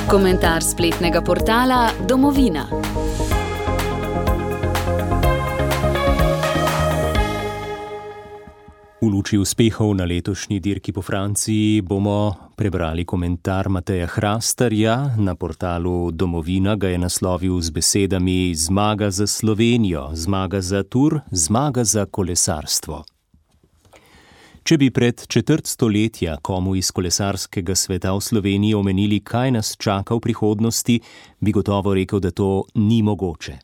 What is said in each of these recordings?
Komentar spletnega portala Domovina. V luči uspehov na letošnji dirki po Franciji bomo prebrali komentar Mateja Hrastarja. Na portalu Domovina ga je naslovil z besedami: zmaga za Slovenijo, zmaga za Tour, zmaga za kolesarstvo. Če bi pred četrt stoletja komu iz kolesarskega sveta v Sloveniji omenili, kaj nas čaka v prihodnosti, bi gotovo rekel, da to ni mogoče.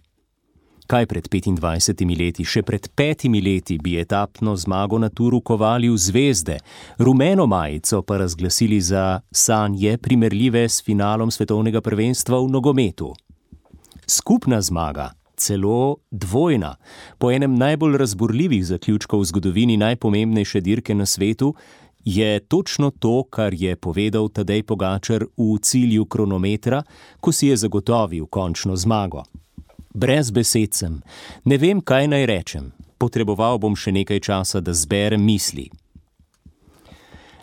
Kaj pred 25 leti, še pred 5 leti bi etapno zmago na Touru kovali v zvezde, rumeno majico pa razglasili za sanje primerljive s finalom svetovnega prvenstva v nogometu. Skupna zmaga, celo dvojna, po enem najbolj razburljivih zaključkov v zgodovini najpomembnejše dirke na svetu, je točno to, kar je povedal Tadej Pogačar v cilju kronometra, ko si je zagotovil končno zmago. Brez besed sem, ne vem, kaj naj rečem, potreboval bom še nekaj časa, da zberem misli.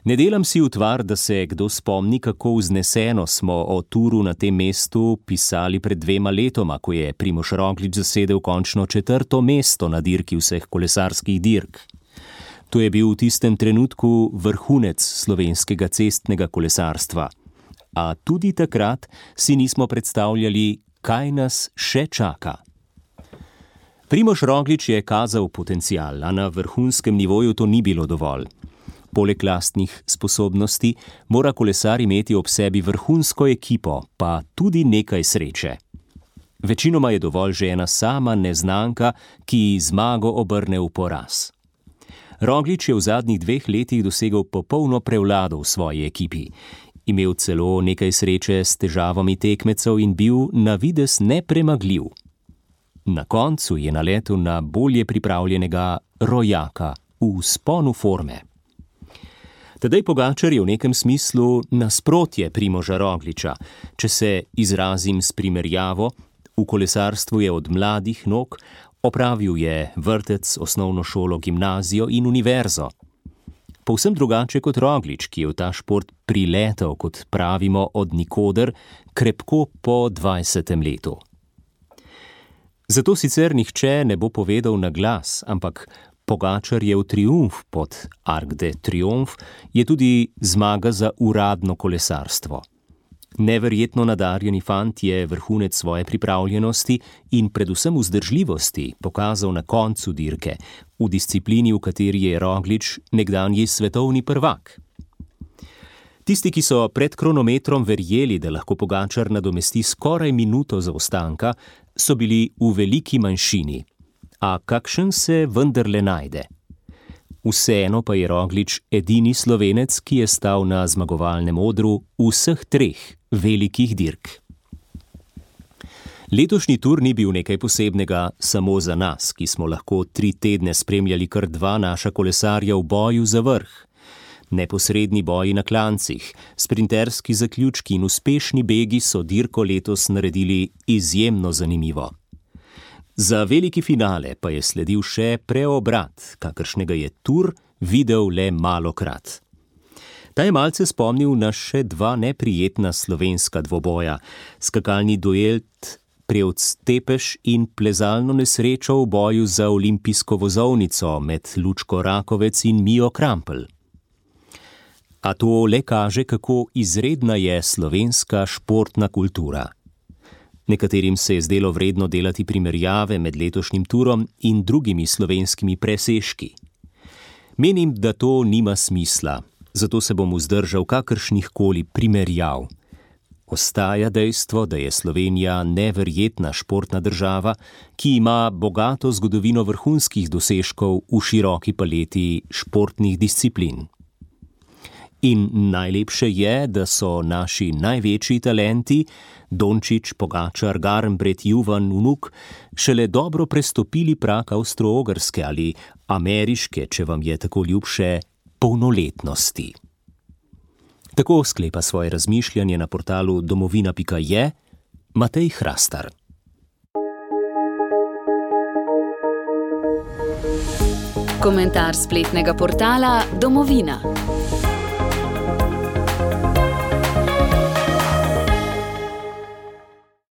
Ne delam si utvar, da se kdo spomni, kako vzneseno smo o Touru na tem mestu pisali pred 2 letoma, ko je Primož Roglič zasedel končno 4. mesto na dirki vseh kolesarskih dirk. To je bil v tistem trenutku vrhunec slovenskega cestnega kolesarstva. A tudi takrat si nismo predstavljali, kaj nas še čaka. Primož Roglič je kazal potencial, a na vrhunskem nivoju to ni bilo dovolj. Poleg lastnih sposobnosti mora kolesar imeti ob sebi vrhunsko ekipo, pa tudi nekaj sreče. Večinoma je dovolj že ena sama neznanka, ki zmago obrne v poraz. Roglič je v zadnjih 2 letih dosegel popolno prevlado v svoji ekipi. Imel celo nekaj sreče s težavami tekmecev in bil na videz nepremagljiv. Na koncu je naletel na bolje pripravljenega rojaka v vzponu forme. Tadej Pogačar je v nekem smislu nasprotje Primoža Rogliča. Če se izrazim s primerjavo, v kolesarstvu je od mladih nog, opravil je vrtec, osnovno šolo, gimnazijo in univerzo. Povsem drugače kot Roglič, ki je v ta šport priletel, kot pravimo, od nikoder, krepko po 20. letu. Zato sicer nihče ne bo povedal na glas, ampak Pogačarjev triumf pod Arc de Triomphe je tudi zmaga za uradno kolesarstvo. Neverjetno nadarjeni fant je vrhunec svoje pripravljenosti in predvsem vzdržljivosti pokazal na koncu dirke, v disciplini, v kateri je Roglič nekdanji svetovni prvak. Tisti, ki so pred kronometrom verjeli, da lahko Pogačar nadomesti skoraj minuto zaostanka, so bili v veliki manjšini. A kakšen se vendarle najde? Vseeno pa je Roglič edini Slovenec, ki je stal na zmagovalnem odru vseh 3 velikih dirk. Letošnji Tour ni bil nekaj posebnega samo za nas, ki smo lahko 3 tedne spremljali kar 2 naša kolesarja v boju za vrh. Neposredni boji na klancih, sprinterski zaključki in uspešni begi so dirko letos naredili izjemno zanimivo. Za veliki finale pa je sledil še preobrat, kakršnega je Tour videl le malokrat. Ta je malce spomnil na še 2 neprijetna slovenska dvoboja, skakalni duel Prevc-Tepeš in plezalno nesrečo v boju za olimpijsko vozovnico med Lučko Rakovec in Mijo Krampelj. A to le kaže, kako izredna je slovenska športna kultura. Nekaterim se je zdelo vredno delati primerjave med letošnjim Tourom in drugimi slovenskimi presežki. Menim, da to nima smisla, zato se bom vzdržal kakršnihkoli primerjav. Ostaja dejstvo, da je Slovenija neverjetna športna država, ki ima bogato zgodovino vrhunskih dosežkov v široki paleti športnih disciplin. In najlepše je, da so naši največji talenti, Dončić, Pogačar, Garnbret, Juvan, Vnuk, šele dobro prestopili prag avstro-ogrske ali ameriške, če vam je tako ljubše, polnoletnosti. Tako sklepa svoje razmišljanje na portalu domovina.je Matej Hrastar. Komentar spletnega portala Domovina.